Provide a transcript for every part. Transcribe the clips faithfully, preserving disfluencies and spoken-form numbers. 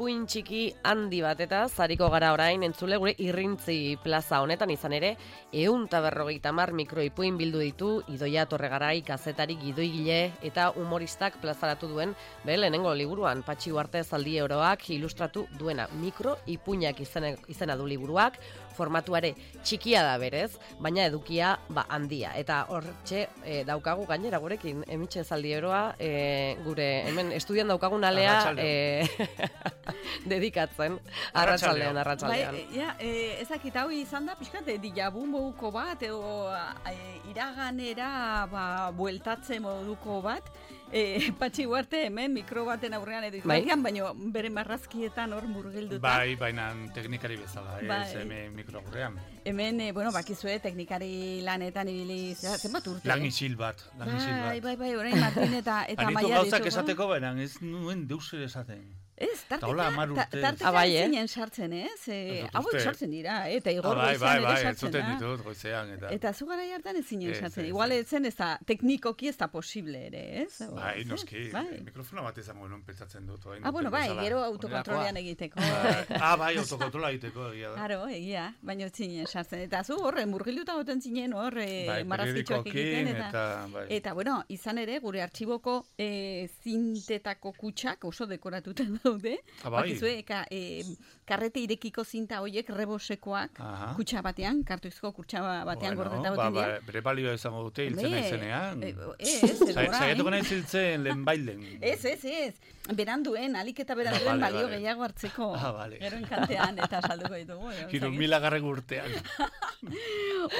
ipuin txiki handi bat eta zariko gara orain entzule gure Irrintzi plaza honetan izan ere ehun eta berrogeita hamar mikroipuin bildu ditu Idoia Torregarai kazetari gidoigile eta humoristak plazaratu duen be lehenengo liburuan Patxi Uarte zaldi oroak ilustratu duena mikroipuinak izena, izena du liburuak formatuare txikia da berez, baina edukia ba handia eta hortxe e, daukagu gainera gurekin Emitxe zaldi oroa e, gure hemen estudian daukagun alea e, dedikatzen arratsaldean arratsaldean. Bai, ja, eh, ezakit hau izan da pixkat dijabu moduko bat edo eh, iraganera ba bueltatze moduko bat. Eh, Patxi Uarte hemen mikro baten aurrean edo izan, baina bere marrazkietan hor murgilduta. Bai, baina teknikari bezala, bai. Ez hemen mikro aurrean. Hemen, eh, bueno, bakizue teknikari lanetan ibili, zenbat urte? Lan isil bat, lan isil bat. Bai, bai, bai, orain Martin eta eta Maia ditugu. Anitu gauzak esateko, baina ez nuen deus ere esaten. Ez, tarteka, tarteka abai, eh? zinen sartzen, ez? E, hauek sartzen dira, eta igor bai, goizean bai, ere bai, sartzen da. Bai, bai, ditut goizean. Eta, eta zu gara hartan ez zinen sartzen. Ez, Igual ez zen ez da, teknikoki ez da posible ere, ez? Bai, noski, bai. Mikrofona bat izango nuen pentsatzen dut. Ah, bueno, bai, gero autokontrolean egiteko. Ah, bai, autokontrola egiteko egia da. Claro, egia, baina ez zinen sartzen. Eta zu horre, murgilduta goten zinen hor, marrazkitxoak egiten. Eta, eta, bueno, izan ere, gure artxiboko zintetako kutsak oso dekoratuten daude. Bakizue, eka, e, karrete irekiko zinta horiek rebosekoak kutsa batean, kartuizko kutsa batean bueno, gordeta boten dira. Ba, bere balioa izango dute hiltzen aizenean. Ez, ez, Zaiatuko nahi ziltzen lehen bailen. Ez, ez, ez. Beranduen, alik eta beranduen ah, balio vale. Gehiago hartzeko. Ah, vale. Gero enkantean eta salduko ditugu. Hiru mila garren urtean.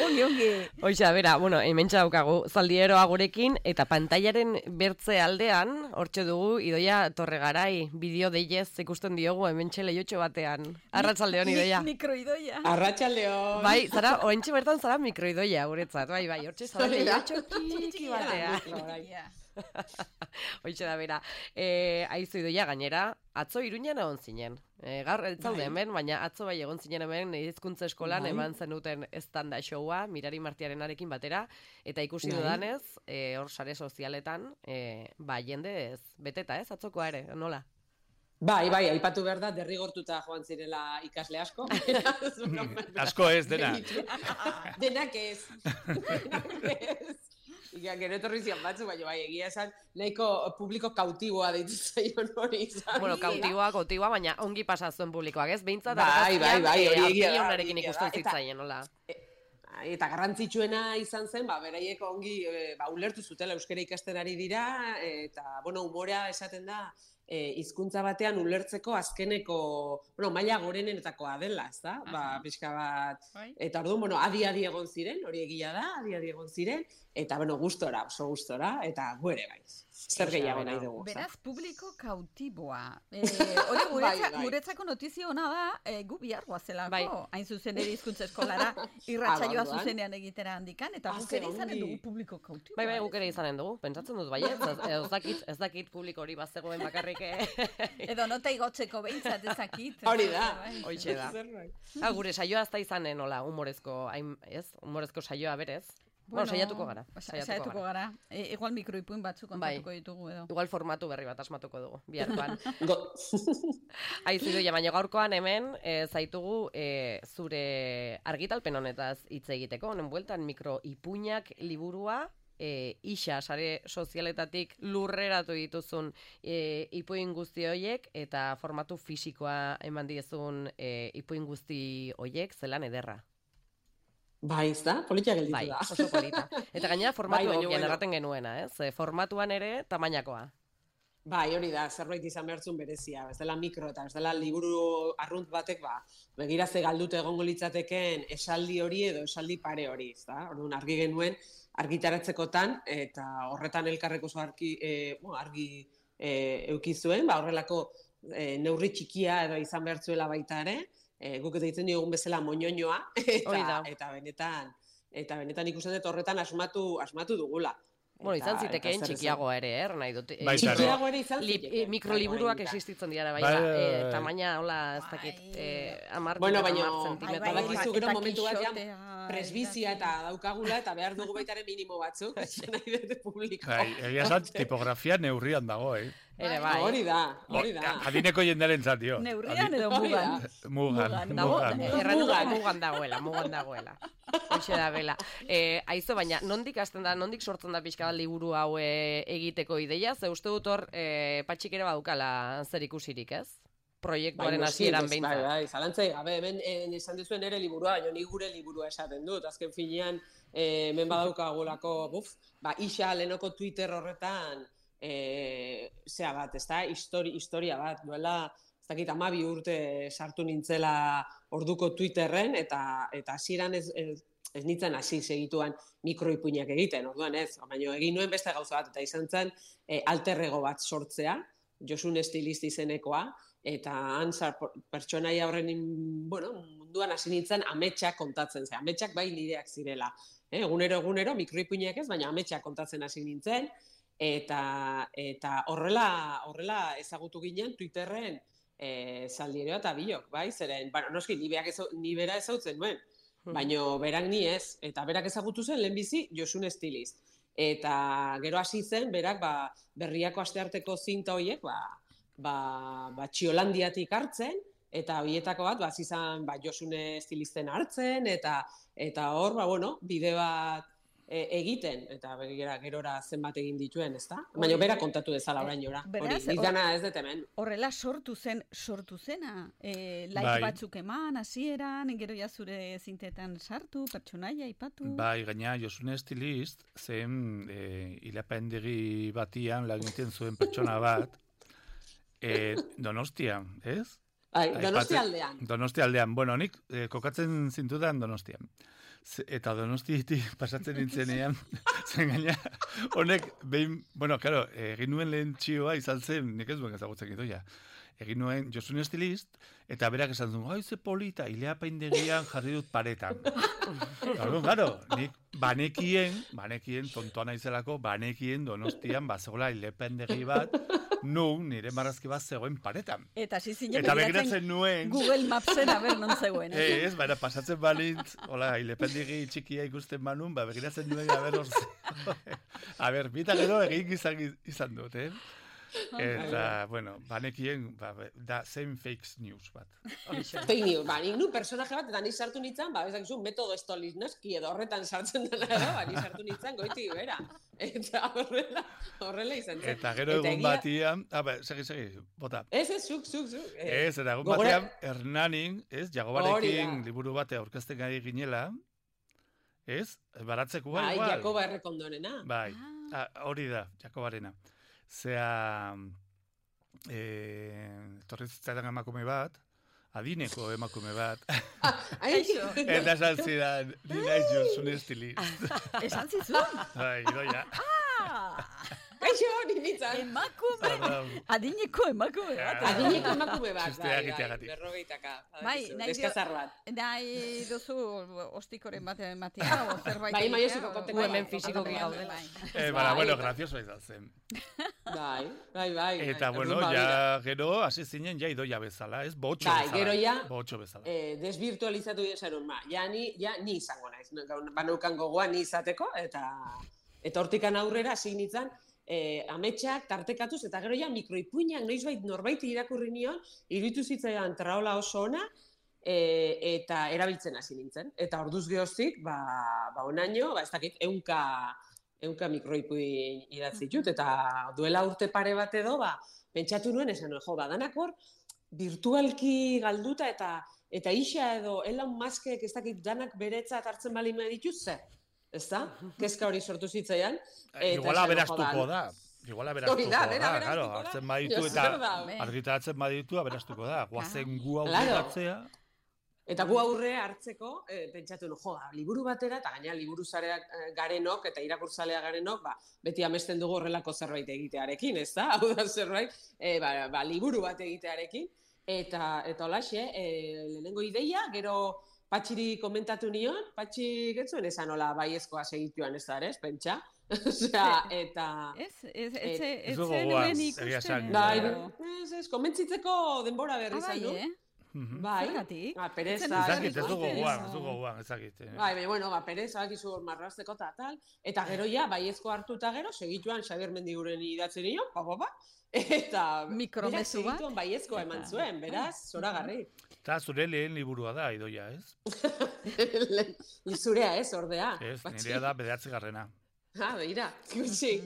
Ongi, ongi. Hoixa, bera, bueno, hementsa daukagu zaldieroa gurekin, eta pantailaren bertze aldean, hortxe dugu, Idoia Torregarai, bideo deiez ikusten diogu hementxe lehiotxo batean. Arratsaldeon Idoia. Mikroidoia. Arratsaldeon. Bai, zara, oentxe bertan zara mikroidoia guretzat, bai, bai, hortxe zara lehiotxo txiki batean. Hoitxe da bera. E, aizu Idoia gainera, atzo Iruñan egon zinen. E, gaur ez zaude hemen, baina atzo bai egon zinen hemen hizkuntza eskolan bai. Eman zenuten estanda showa Mirari Martiarenarekin batera eta ikusi bai. Dudanez, e, hor sare sozialetan, e, ba jende ez beteta, ez atzokoa ere, nola? Bai, bai, aipatu behar da, derrigortuta joan zirela ikasle asko. Asko ez, dena. Denak ez. Denak ez. Ika, gero etorri zian batzu, baina bai, egia esan, nahiko publiko kautiboa deitu zaion hori izan. Bueno, kautiboa, kautiboa, baina ongi pasazuen publikoak, ez? Behintzat, bai, bai, bai, hori egia da. Argionarekin ikusten zitzaien, nola? Eta garrantzitsuena izan zen, ba, beraiek ongi, ba, ulertu zutela euskara ikasten ari dira, eta, bueno, umorea esaten da, hizkuntza batean ulertzeko azkeneko, bueno, maila gorenetakoa dela, ez da? Ba, pixka bat, eta orduan, bueno, adi-adi egon ziren, hori egia da, adi-adi egon ziren, eta, bueno, gustora, oso gustora, eta guere gaiz. Zer gehiago nahi dugu. Beraz, publiko kautiboa. Hori guretza, guretzako notizio hona da, e, gu bihar guazelako, bai. Hain zuzen ere hizkuntza eskolara, irratsaioa zuzenean egitera handikan, eta guk ere izanen dugu publiko kautiboa. Bai, bai, guk ere izanen dugu, pentsatzen dut, bai, ez, ez dakit, ez dakit publiko hori bazegoen bakarrik. Edo nota igotzeko behintzat ezakit. Hori da. Hoitxe da. Ha, gure saioa ez da izanen, hola, humorezko, ez, humorezko saioa berez. Bueno, bueno, saiatuko gara. Saiatuko, saiatuko gara. gara. E, igual mikroipuin batzuk kontatuko bai. Ditugu edo. Igual formatu berri bat asmatuko dugu, biharkoan. Aizu Idoia, baina gaurkoan hemen e, zaitugu e, zure argitalpen honetaz hitz egiteko, honen bueltan mikroipuinak liburua, e, isa sare sozialetatik lurreratu dituzun e, ipuin guzti hoiek eta formatu fisikoa eman diezun e, ipuin guzti hoiek zelan ederra. Bai, ez da? Politia gelditu bai, da. Oso polita. Eta gainera formatu bai, egokian erraten genuena, ez? Formatuan ere tamainakoa. Bai, hori da, zerbait izan behartzun berezia. Ez dela mikro eta ez dela liburu arrunt batek, ba, begirazte galdute egongo litzateken esaldi hori edo esaldi pare hori, ez da? Orduan argi genuen argitaratzekotan eta horretan elkarreko oso argi, e, bueno, argi e, eukizuen, ba, horrelako e, neurri txikia edo izan behartzuela baita ere, E, guk deitzen diogun bezala moñoñoa eta, eta benetan eta benetan ikusten dut horretan asmatu asmatu dugula. Bueno, izan zitekeen txikiago ere, er, nahi dut. E, txikiago ere izan zitekeen. Mikroliburuak existitzen dira, bai, ba, e, tamaina, hola, ez dakit, e, amar, bueno, baina, zentimetro. Badakizu gero momentu bat, presbizia eta daukagula, eta behar dugu baitaren minimo batzuk, nahi dute publiko. Egia zan, tipografia neurrian dago, eh? Ere, bai. Hori da, hori da. Adineko jendaren zat, dio. Neurrian edo mugan. Mugan, mugan. Erran mugan dagoela, mugan dagoela. Hoxe da, bela. Eh, aizo, baina, nondik hasten da, nondik sortzen da pixka bat liburu hau e, egiteko ideia? Ze uste dut hor, e, patxik ere badukala zer ikusirik, ez? Proiektuaren hasieran behintzat. Bai, bai, zalantzai, gabe, hemen esan dizuen ere liburua, baina ni gure liburua esaten dut. Azken finean, hemen badaukagulako, buf, ba, isa lehenoko Twitter horretan, e, zea bat, ez da, histori, historia bat, duela, ez dakit, amabi urte sartu nintzela orduko Twitterren, eta eta hasieran ez, ez, ez nintzen hasi segituan mikroipuinak egiten, orduan ez, baina egin nuen beste gauza bat, eta izan zen e, alterrego bat sortzea, Josun Estilist izenekoa, eta han pertsonaia horren, bueno, munduan hasi nintzen ametsak kontatzen zen, ametsak bai nireak zirela. Eh, egunero, egunero, mikroipuinak ez, baina ametsak kontatzen hasi nintzen, eta eta horrela horrela ezagutu ginen Twitterren eh Zaldieroa eta Bilok, bai, zeren, bueno, noski ni berak ez ni bera ezagutzen nuen, baina berak ni ez, eta berak ezagutu zen lehenbizi Josun Estilist. Eta gero hasi zen berak ba Berriako astearteko zinta horiek ba ba ba Txiolandiatik hartzen, eta horietako bat ba hasi izan ba Josun Estilisten hartzen, eta eta hor ba bueno, bide bat E, egiten, eta begira gerora zenbat egin dituen, ezta? Baina bera kontatu dezala orainora. Hori, izana ez dut hemen. Horrela sortu zen, sortu zena, e, like bai. Batzuk eman, hasieran, gero ja zure zintetan sartu, pertsonaia aipatu. Bai, gaina Josun Estilist zen e, ilapendegi batian lagiten zuen pertsona bat, e, Donostian, ez? Bai, Donostia aldean. Donostia aldean. Bueno, nik e, kokatzen zintudan Donostian. Eta Donostiatik pasatzen nintzenean, zen gaina, honek, behin, bueno, claro, egin nuen lehen txioa izan zen, nik ez duen ezagutzen gidoia, egin nuen Josun Estilist, eta berak esan zuen, oi, ze polita, ilea paindegian jarri dut paretan. Claro, claro, nik banekien, banekien, tontoa naizelako, banekien Donostian, bazegoela ilea paindegi bat, nun, nire marrazki bat zegoen paretan. Eta zizien begiratzen nuen Google Mapsen aber non zegoen. Eh, ez, baina pasatzen balintz, hola, ilependigi txikia ikusten manun, ba, begiratzen nuen, aber orze. A ber, bita gero egin izan, izan dut, eh? Eta, bueno, banekien, ba, da, zen fake news bat. Fake news, ba, nik nu personaje bat, eta ni sartu nintzen, ba, bezak zu, metodo Stolichnski edo horretan sartzen dela, ba, ni sartu nintzen goiti bera. Eta horrela, horrela izan zen. Eta gero egun batian, ah, ba, segi, segi, bota. Ez, ez, zuk, zuk, zuk. Ez, eta egun batian, Hernanin, ez, Jagobarekin liburu bate aurkezten gai ginela, ez, baratzeko bai, igual. Bai, Jakoba Errekondonena. Bai, hori da, Jakobarena. Zea, eh, torrizitzaidan emakume bat, adineko emakume bat. Eta esan zidan, ni naiz Josun Estilist. Esan zizun? Bai, idoia. Kaixo, ninditzan. Emakume, adineko emakume bat. Adineko emakume bat, bai, bai, berrogeitaka. Bai, deskazar bat. Nahi dozu ostikoren bat ematea, o zerbait. Bai, bai, osiko konteko. Hemen fisiko gaude. Eh, bara, bueno, gracioso izan zen. Bai, bai, bai. Eta, bueno, ja, gero, hasi zinen, ja idoia bezala, ez? Botxo bezala. Bai, gero ja, botxo bezala. Eh, desvirtualizatu izanun, ma, ja ni, ja ni izango naiz. Baneukan gogoa ni izateko, eta eta hortikan aurrera hasi nintzen, eh, ametsak tartekatuz, eta gero ja mikroipuinak noizbait norbait irakurri nion, iruditu zitzaidan traola oso ona, e, eta erabiltzen hasi nintzen. Eta orduz geroztik, ba, ba onaino, ba ez dakit, ehunka ehunka mikroipuin idatzi ditut, eta duela urte pare bat edo, ba, pentsatu nuen, esan nuen, jo, badanak hor, virtualki galduta, eta eta isa edo Elon Muskek ez dakit danak beretzat hartzen bali me dituzze. Ez da? Kezka hori sortu zitzaian. Iguala berastuko da. Iguala berastuko da, claro, hartzen baditu eta argitaratzen baditu, berastuko da. Guazen gu aurreratzea. Eta gu aurrea hartzeko, e, pentsatu no, jo, liburu batera, eta gaina liburu zareak garenok, eta irakurtzalea garenok, ba, beti amesten dugu horrelako zerbait egitearekin, ez da? Hau da zerbait, e, ba, ba, liburu bat egitearekin. Eta, eta holaxe, e, lehenengo ideia, gero Patxiri komentatu nion, Patxi getzuen esan hola baiezkoa segituan ez da, ez, pentsa? Osea, eta... Ez, ez, ez, ez zenuen ikusten. Ez, ez, komentzitzeko denbora berri izan du. Bai, zergatik? Ba, pereza... Ezakit, ez dugu guan, ez dugu guan, ezakit. Bai, bai, bueno, ba, pereza, bakizu marrazteko eta tal, eta gero ja, baiezko hartu eta gero, segituan Xabier Mendiguren idatzen nion, pa, pa, pa, eta... Mikromezu bat. Segituan baiezkoa eman zuen, beraz, zoragarri. Eta zure lehen liburua da, Idoia, ez? Zurea ez, ordea. Ez, nirea da bederatzi garrena. Ah, beira, gutxi.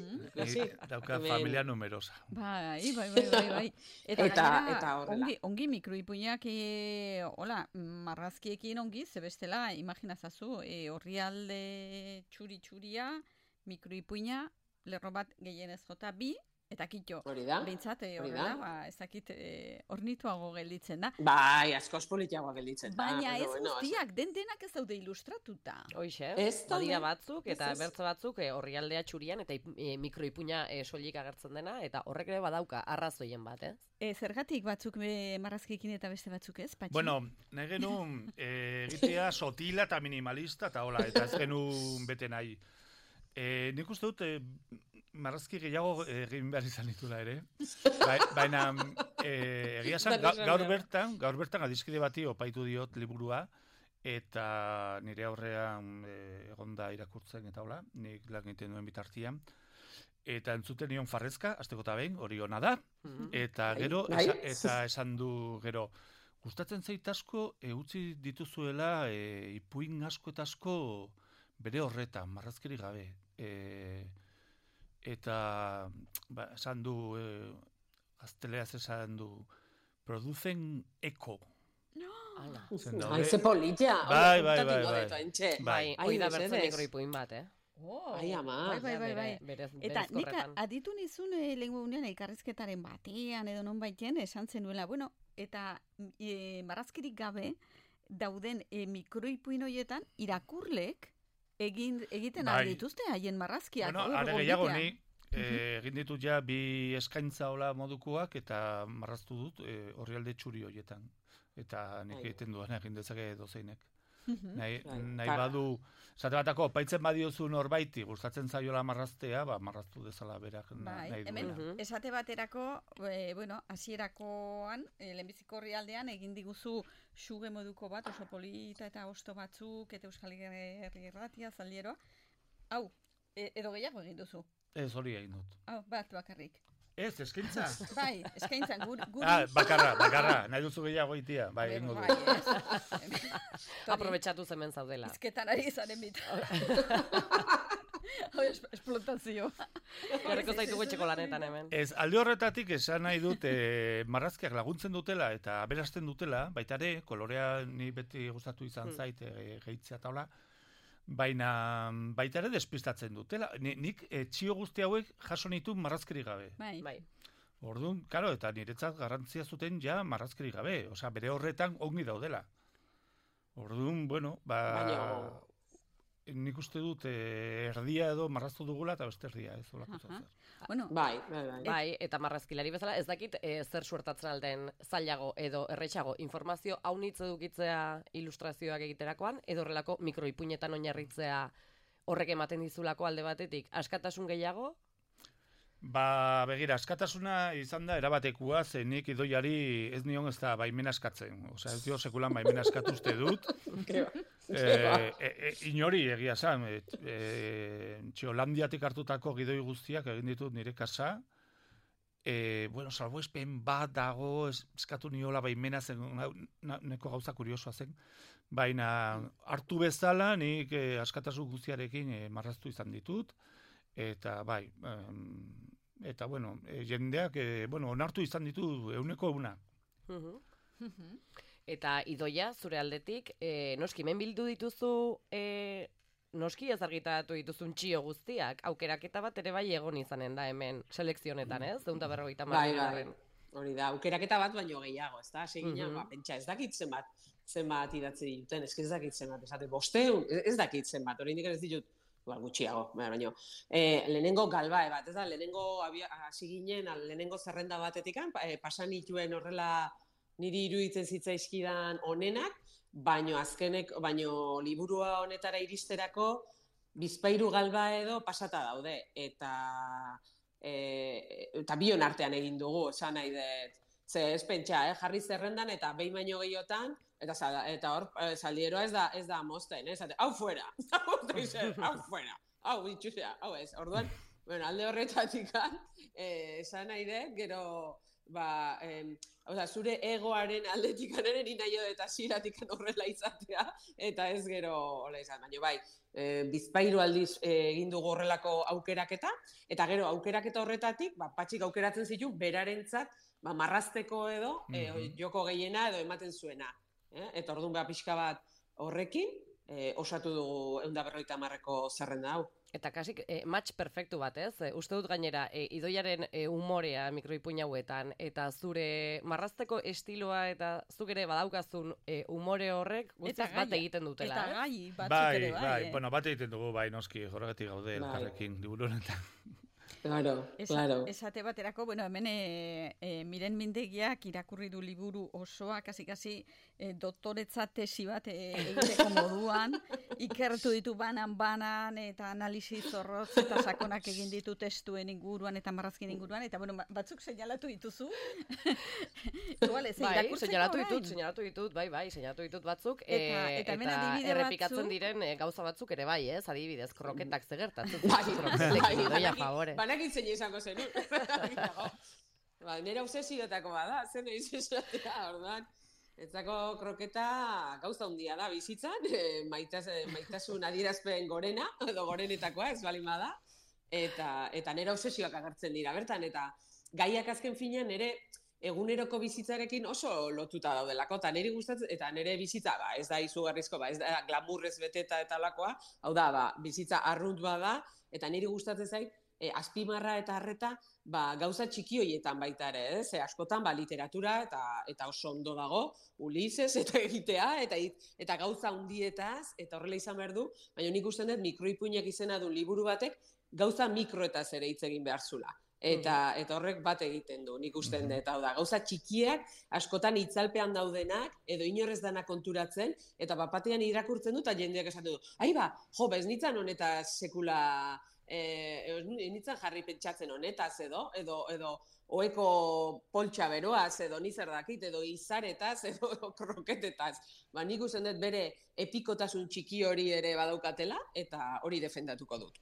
Dauka familia numerosa. Bai, bai, bai, bai, bai. Eta, eta, gainera, eta horrela. Ongi, ongi mikroipuinak, e, hola, marrazkiekin ongi, zebestela, imaginazazu, e, orrialde txuri-txuria, mikroipuina, lerro bat gehienez jota bi, eta kitxo. Hori da. Behintzat, horrela, ba, ez dakit, e, ornituago gelditzen da. Bai, askoz politiagoa gelditzen da. Baina ez guztiak, den denak ez daude ilustratuta. Hoixe, ez badira batzuk, eta bertze batzuk, e, orrialdea txurian, eta e, mikroipuina e, soilik agertzen dena, eta horrek ere badauka arrazoien bat, ez? E, zergatik batzuk e, marrazkiekin eta beste batzuk ez, Patxi? Bueno, nahi genuen e, egitea sotila eta minimalista, eta hola, eta ez genuen bete nahi. E, nik uste dut, e, marrazki gehiago egin behar izan ditula ere. Ba, baina, e, egia esan, ga, gaur bertan, gaur bertan adiskide bati opaitu diot liburua, eta nire aurrean e, egonda irakurtzen eta hola, nik lan egiten duen bitartian. Eta entzuten nion farrezka, azteko eta behin, hori ona da, eta gero, esa, eta esan du gero, gustatzen zait asko, e, utzi dituzuela e, ipuin asko eta asko bere horretan, marrazkeri gabe. E, eta ba, esan du, e, gazteleaz esan du, producen eko. No! Ai, ze politia! Bai, bai, bai, bai. Bai, hoi da bertzen mikroipuin bat, eh? Oh, ai, ama. Bai, bai, bai, bai. Berez, eta nik aditu nizun e, lehen gunean elkarrizketaren batean edo non baiten esan zenuela. Bueno, eta e, marrazkirik gabe dauden e, mikroipuin horietan irakurlek egin, egiten bai. Aldituzte haien marrazkiak. Bueno, are gehiago ni e, egin ditut ja bi eskaintza hola modukoak eta marraztu dut e, orrialde txuri horietan. Eta nik egiten duan egin dezake dozeinek. Nahi, nahi badu, zate batako, paitzen badiozu norbaiti, gustatzen zaiola marraztea, ba, marraztu dezala berak bai, nahi hemen, duela. Esate baterako, e, bueno, hasierakoan, e, lehenbiziko orrialdean, egin diguzu suge moduko bat, oso polita eta osto batzuk, eta Euskal Herri Irratia, zaldieroa. Hau, e, edo gehiago egin duzu? Ez hori egin dut. Hau, bat bakarrik. Ez, eskaintza. Bai, eskaintza, guri. Ah, bakarra, bakarra, nahi duzu gehiago itia. Bai, egin dut. Bai, aprobetxatu zemen zaudela. Izketan ari zaren bita. Esplotazio. Jarriko zaitu gotxeko lanetan hemen. Ez, alde horretatik esan nahi dut e, marrazkiak laguntzen dutela eta aberasten dutela, baita ere, kolorea ni beti gustatu izan zait e, gehitzea taula, baina baita ere despistatzen dutela. Nik e, txio guzti hauek jaso nitu marrazkeri gabe. Bai. Bai. Orduan, karo, eta niretzat garrantzia zuten ja marrazkeri gabe. Osea, bere horretan ongi daudela. Orduan, bueno, ba... Baina... Nik uste dut eh, erdia edo marraztu dugula eta beste erdia ez olako zer. Bueno, bai, bai, bai. Bai, eta marrazkilari bezala ez dakit e, zer suertatzen alden zailago edo erretxago informazio haunitz edukitzea ilustrazioak egiterakoan edo horrelako mikroipuinetan oinarritzea horrek ematen dizulako alde batetik. Askatasun gehiago? Ba, begira, askatasuna izan da erabatekua, ze nik Idoiari ez nion ez da baimena askatzen. Osea, ez dio sekulan baimena eskatuzte dut. e, e, e, inori egia zan. E, e, Txiolandiatik hartutako gidoi guztiak egin ditut nire kasa. E, bueno, salbuespen bat dago, eskatu niola baimena zen, neko gauza kuriosoa zen. Baina hartu bezala nik e, askatasun guztiarekin e, marraztu izan ditut. Eta bai, um, eta bueno, e, jendeak, e, bueno, onartu izan ditu euneko una. Eta Idoia, zure aldetik, e, noski, hemen bildu dituzu, e, noski ez argitaratu dituzun txio guztiak, aukeraketa bat ere bai egon izanen da hemen selekzionetan, ez? Zeunta berrogeita bai, bai, hori da, aukeraketa bat baino gehiago, ez da? Segina, ba, pentsa, ez dakit zenbat, zenbat idatzi dituten, ez dakit zenbat, esate, bosteun, ez dakit zenbat, hori indik ez ditut, ba, gutxiago, baina, e, lehenengo galbae bat, ez da, lehenengo hasi ginen, lehenengo zerrenda batetikan, e, pasan ituen horrela niri iruditzen zitzaizkidan onenak, baino azkenek, baino liburua honetara iristerako, bizpairu galba edo pasata daude, eta e, eta bion artean egin dugu, esan nahi dut, ze ez pentsa, eh? Jarri zerrendan eta behin baino gehiotan, eta, eta hor, zaldieroa ez da, ez da mozten, ez da, hau fuera, hau fuera, hau bitxusea, hau ez, orduan, bueno, alde horretatik, eh, esan nahi dut, gero, ba, eh, oza, zure egoaren aldetik aneren inaio eta ziratik horrela izatea, eta ez gero hola izan, baina bai, e, bizpairu aldiz e, egin dugu horrelako aukeraketa, eta gero aukeraketa horretatik, ba, patxik aukeratzen zitu, berarentzat, ba, marrazteko edo, e, joko gehiena edo ematen zuena. Eh? Eta orduan beha pixka bat horrekin, e, osatu dugu ehun eta berrogeita hamarreko zerrenda hau. Eta kasik, eh, match perfektu bat, ez? E, uste dut gainera, e, idoiaren e, umorea mikroipuin hauetan, eta zure marrazteko estiloa eta zuk ere badaukazun e, umore horrek, guztiz bat egiten dutela. Eta gai, batzuk bai, ere bai. Bai, eh? bueno, bat egiten dugu, bai, noski, horregatik gaude elkarrekin, liburu honetan. Claro, Esa, claro. Esate baterako, bueno, hemen e, e, Miren Mindegiak irakurri du liburu osoa, kasi-kasi e, doktoretza tesi bat e, egiteko moduan, ikertu ditu banan-banan, eta analisi zorrotz, eta sakonak egin ditu testuen inguruan, eta marrazkin inguruan, eta bueno, batzuk seinalatu dituzu. Igual, ez, bai, seinalatu ditut, seinalatu ditut, bai, bai, seinalatu ditut batzuk, eta, e, eta, eta errepikatzen batzuk diren e, gauza batzuk ere bai, ez, adibidez, kroketak zegertatzen. Bai, bai, favore. Banak itzen izango zen, ba, nera obsesiotako bada, zen egin izatea, orduan. Etzako kroketa gauza handia da bizitzan, e, maitaz, maitasun adierazpen gorena, edo gorenetakoa, ez balin bada, eta, eta nera obsesioak agertzen dira, bertan, eta gaiak azken finean nere eguneroko bizitzarekin oso lotuta daudelako, eta niri gustatzen, eta nire bizitza, ba, ez da izugarrizko, ba, ez da glamurrez beteta eta alakoa, hau da, ba, bizitza arrunt bada, eta niri gustatzen zait, e, azpimarra eta harreta, ba, gauza txiki horietan baita ere, ez? E, askotan, ba, literatura eta eta oso ondo dago, Ulises eta egitea, eta eta gauza hundietaz, eta horrela izan behar du, baina nik usten dut mikroipuinak izena du liburu batek, gauza mikroetaz ere hitz egin behar zula. Eta, eta horrek bat egiten du, nik usten dut, hau da, gauza txikiak, askotan itzalpean daudenak, edo inorrez dana konturatzen, eta bapatean irakurtzen du, eta jendeak esan du, ai ba, jo, bez nitzan honetaz sekula, eh, nitzan jarri pentsatzen honetaz edo, edo, edo, oeko poltsa beroaz, edo nizer dakit, edo izaretaz, edo, edo kroketetaz. Ba, nik usten dut bere epikotasun txiki hori ere badaukatela, eta hori defendatuko dut.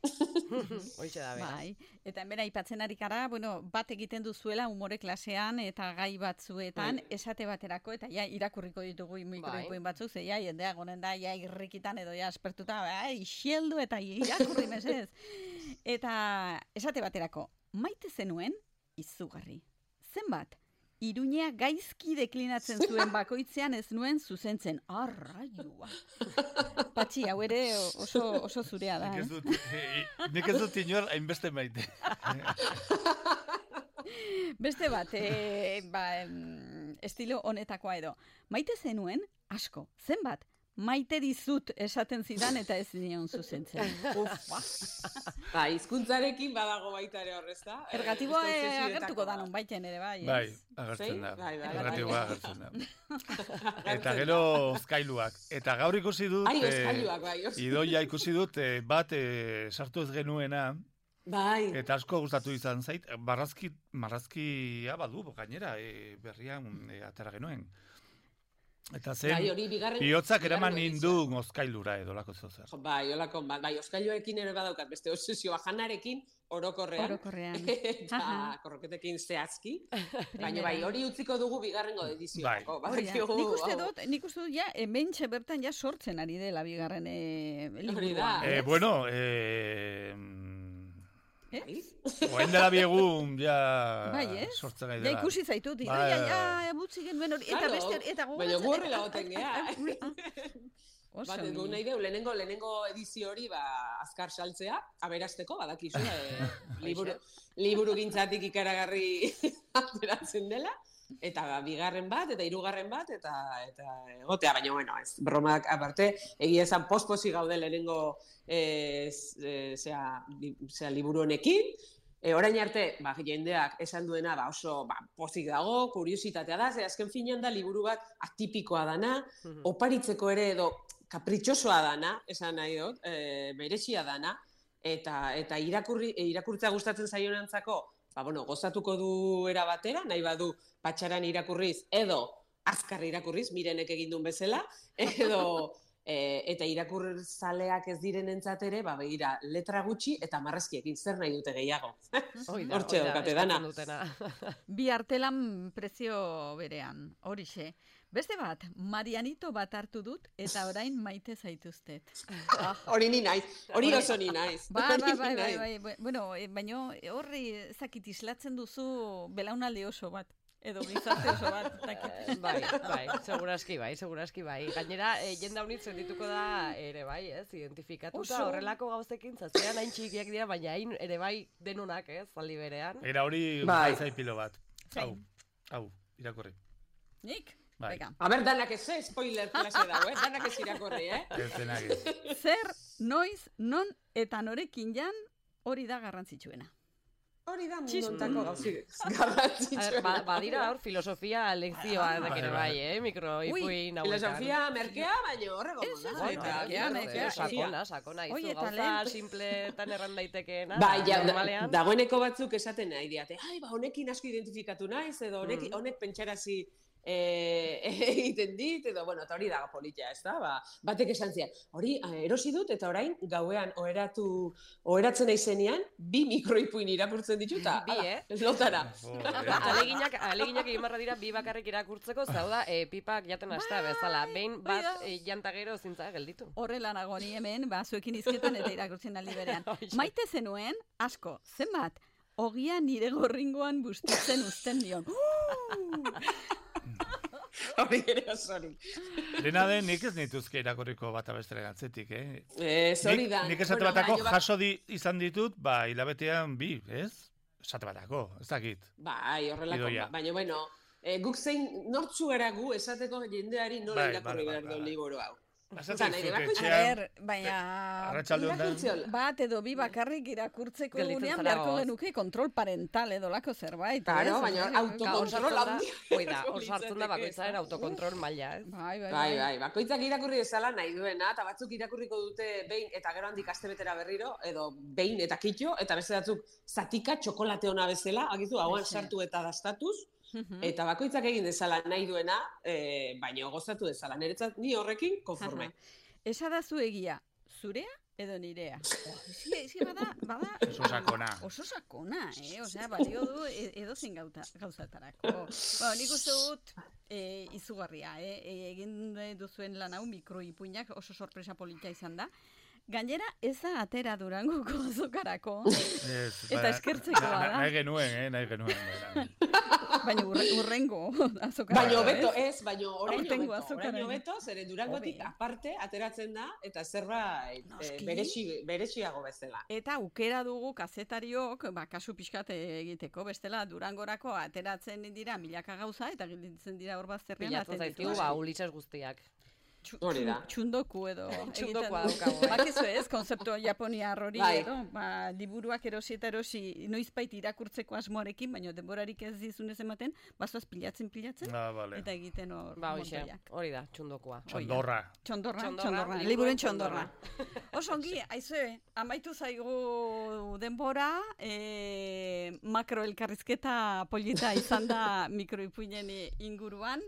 Hoize da, bera. Bai, eta hemen aipatzen ari gara, bueno, bat egiten duzuela umore klasean eta gai batzuetan, bai. Esate baterako, eta ja, irakurriko ditugu mikroipuin bai. Batzuk, ze ja, jendea gonen da, ja, irrikitan edo ja, aspertuta, bai, xieldu eta irakurri mesez. Eta esate baterako, maite zenuen, izugarri. Zenbat? Iruñea gaizki deklinatzen zuen bakoitzean ez nuen zuzentzen. Arraiua. Patxi, hau ere oso, oso zurea da. Nik ez dut, eh? Nik ez dut inor hainbeste maite. Beste bat, eh, ba, estilo honetakoa edo. Maite zenuen, asko. Zenbat? Maite dizut esaten zidan eta ez nion zuzentzen. Ufa. Ba, hizkuntzarekin badago baita ere horrezta. Ergatiboa e, agertuko da non baiten ere, bai. Bai, agertzen da. Bai, bai, Ergatiboa agertzen da. Eta gero oskailuak. Eta gaur ikusi dut, ai, oskailuak, bai, oskailuak. Idoia ikusi dut, bat e, sartu ez genuena, bai. Eta asko gustatu izan zait, marrazki, marrazkia badu, gainera, e, berrian e, atera genuen. Eta zen, bai, bigarren, bihotzak eraman nindu oskailura edo lako zozer. Bai, olako, bai, oskailuekin ere badaukat, beste obsesioa janarekin, orokorrean, orokorrean. Eta korroketekin zehazki, baina bai, hori utziko dugu bigarrengo edizioko. Bai. Nik uste dut, nik uste dut, ja, hementxe bertan ja sortzen ari dela bigarren e, liburua. Eh, bueno, eh... Ez? Oen dela biegun, ja, bai, ez? sortzen gai dela. Ja, ikusi zaitut, bai, ja, ja, ebutzi genuen hori, eta beste, eta gogatzen. Baina gurri lagoten geha. Bat, egu nahi deu, lehenengo, lehenengo edizio hori, ba, azkar saltzea, aberasteko, badakizu, e, liburu, liburu gintzatik ikaragarri ateratzen dela, eta bigarren bat, eta hirugarren bat, eta eta egotea, baina, bueno, ez, bromak aparte, egia esan posposi gaude lehenengo e, zea, zea liburu honekin, E, orain arte, ba, jendeak esan duena ba, oso ba, pozik dago, kuriositatea da, ze azken finean da liburu bat atipikoa dana, oparitzeko ere edo kapritxosoa dana, esan nahi dut, e, berezia dana, eta, eta irakurri, e, irakurtza gustatzen zaionantzako, ba, bueno, gozatuko du era batera, nahi badu patxaran irakurriz, edo azkar irakurriz, Mirenek egin duen bezala, edo... E, eta irakurtzaleak ez diren entzatere, ba, begira, letra gutxi eta marrazkiekin zer nahi dute gehiago. Hortxe daukate dana. Bi artelan prezio berean, horixe. Beste bat, Marianito bat hartu dut eta orain maite zaituztet. Hori ni naiz, hori oso ni naiz. Ba, ba, bai, bai, bai. Bueno, baina horri ezakit islatzen duzu belaunaldi oso bat. Edo gizarte oso bat. Bai, bai, seguraski bai, seguraski bai. Gainera, e, jenda honit sentituko da ere bai, ez, identifikatuta horrelako gauzekin, zazkean hain txikiak dira, baina hain ere bai denunak, ez, zaldi berean. Era hori bai. Zaipilo bat. Hau, hau, irakorri. Nik? Bai. A ber, danak ez, eh? Spoiler klase dago, eh? Danak ez irakorri, eh? Ez denak ez. Zer, noiz, non eta norekin jan, hori da garrantzitsuena. Hori da mundontako gauzik garrantzitsuena. Badira hor filosofia lekzioa dakene bai, eh? Mikroipuin hauetan. Filosofia merkea, baina horrego da. Merkea, merkea. Sakona, sakona. Izu gauza simpletan erran daitekeena. Bai, dagoeneko batzuk esaten nahi diate. Ai, ba, honekin asko identifikatu naiz, edo honek pentsarazi egiten dit, edo, bueno, eta hori da politia, ez da? Ba, batek esan zian, hori erosi dut, eta orain gauean oheratu, oheratzen aizenean, bi mikroipuin irakurtzen dituta. Bi, eh? Lotara. Aleginak, aleginak egin barra dira bi bakarrik irakurtzeko, zau da, pipak jaten hasta bezala. Behin bat jantagero zintza gelditu. Horrela nago ni hemen, ba, zuekin izketan eta irakurtzen aldi berean. Maite zenuen, asko, zenbat, ogia nire gorringoan bustitzen uzten dion. Hori ere osori. Dena den, nik ez nituzke irakurriko bat abestera gantzetik, eh? Ez hori da. Nik esate batako jaso izan ditut, ba, hilabetean bi, ez? Esate batako, ez dakit. Bai, horrelako, baina, bueno, guk zein nortzu gara gu esateko jendeari nola irakurri behar duen liburu hau. Baina bat edo bi bakarrik irakurtzeko unean beharko genuke kontrol parental edo lako zerbait. Claro, baina autokontrol handia. Oida, hor sartzen da bakoitzaren autokontrol maila, ez? Bai, bai, bai. Bakoitzak irakurri dezala nahi duena, eta batzuk irakurriko dute behin eta gero handik astebetera berriro, edo behin eta kitxo, eta beste batzuk zatika txokolate ona bezala, agizu, hauan sartu eta dastatuz, eta bakoitzak egin dezala nahi duena, e, baina gozatu dezala. Niretzat ni horrekin konforme. Esa da zu egia, zurea edo nirea? Ezi bada, bada... Oso sakona. Oso sakona, eh? Osea, balio du edo zein gauzatarako. Bueno, nik uste dut e, izugarria, eh? E, egin duzuen lan hau mikroipuinak oso sorpresa polita izan da. Gainera, ez da atera Durangoko azokarako. Eta eskertzekoa da. Nahi genuen, eh? Nahi genuen. Baina urrengo azokarako. Baina beto ez, baina oraino beto. Oraino beto, zeren Durangotik aparte ateratzen da, eta zerbait berexiago bezala. Eta aukera dugu kazetariok, ba, kasu pixkat egiteko, bestela Durangorako ateratzen dira milaka gauza, eta gilditzen dira hor bazterrean. Pilatzen zaizkigu, ba, ulitzaz guztiak. Hori da. Txundoku edo. Txundokoa daukago. Bakizu ez, konzeptu japoniar hori edo, ba, liburuak erosi eta erosi noizbait irakurtzeko asmoarekin, baina denborarik ez dizunez ematen, bazoaz pilatzen pilatzen, eta egiten hor montoiak. Hori da, txundokoa. Txondorra. Txondorra, txondorra. Liburen txondorra. Osongi, aizue, amaitu zaigu denbora, makroelkarrizketa polita izan da mikroipuinen inguruan,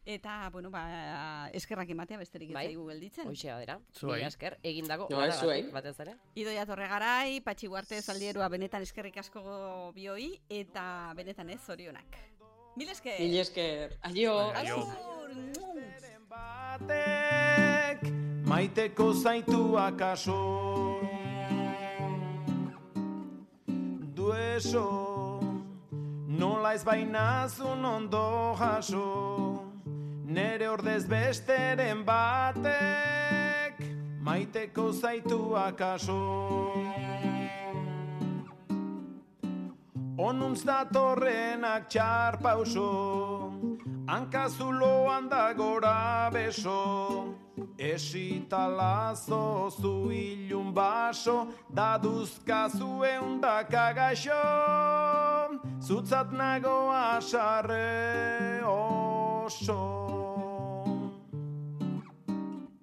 eta, bueno, ba, eskerrak ematea besterik ez zaigu gelditzen. Hoxea dira. Zuei. Esker, egindako batez batez ere. Idoia Torregarai, Patxi Guarte Zaldierua benetan eskerrik asko bioi, eta benetan ez zorionak. Mil esker. Mil esker. Aio. Aio. Batek maiteko zaitu akaso dueso nola ez bainazun ondo jaso nere ordez besteren batek maiteko zaitu akaso onuntz datorrenak txar pauso hankazuloan da gora beso, esita lazo zu ilun baso, daduzkazu eundak agaixo, zutzat nago asarre oso.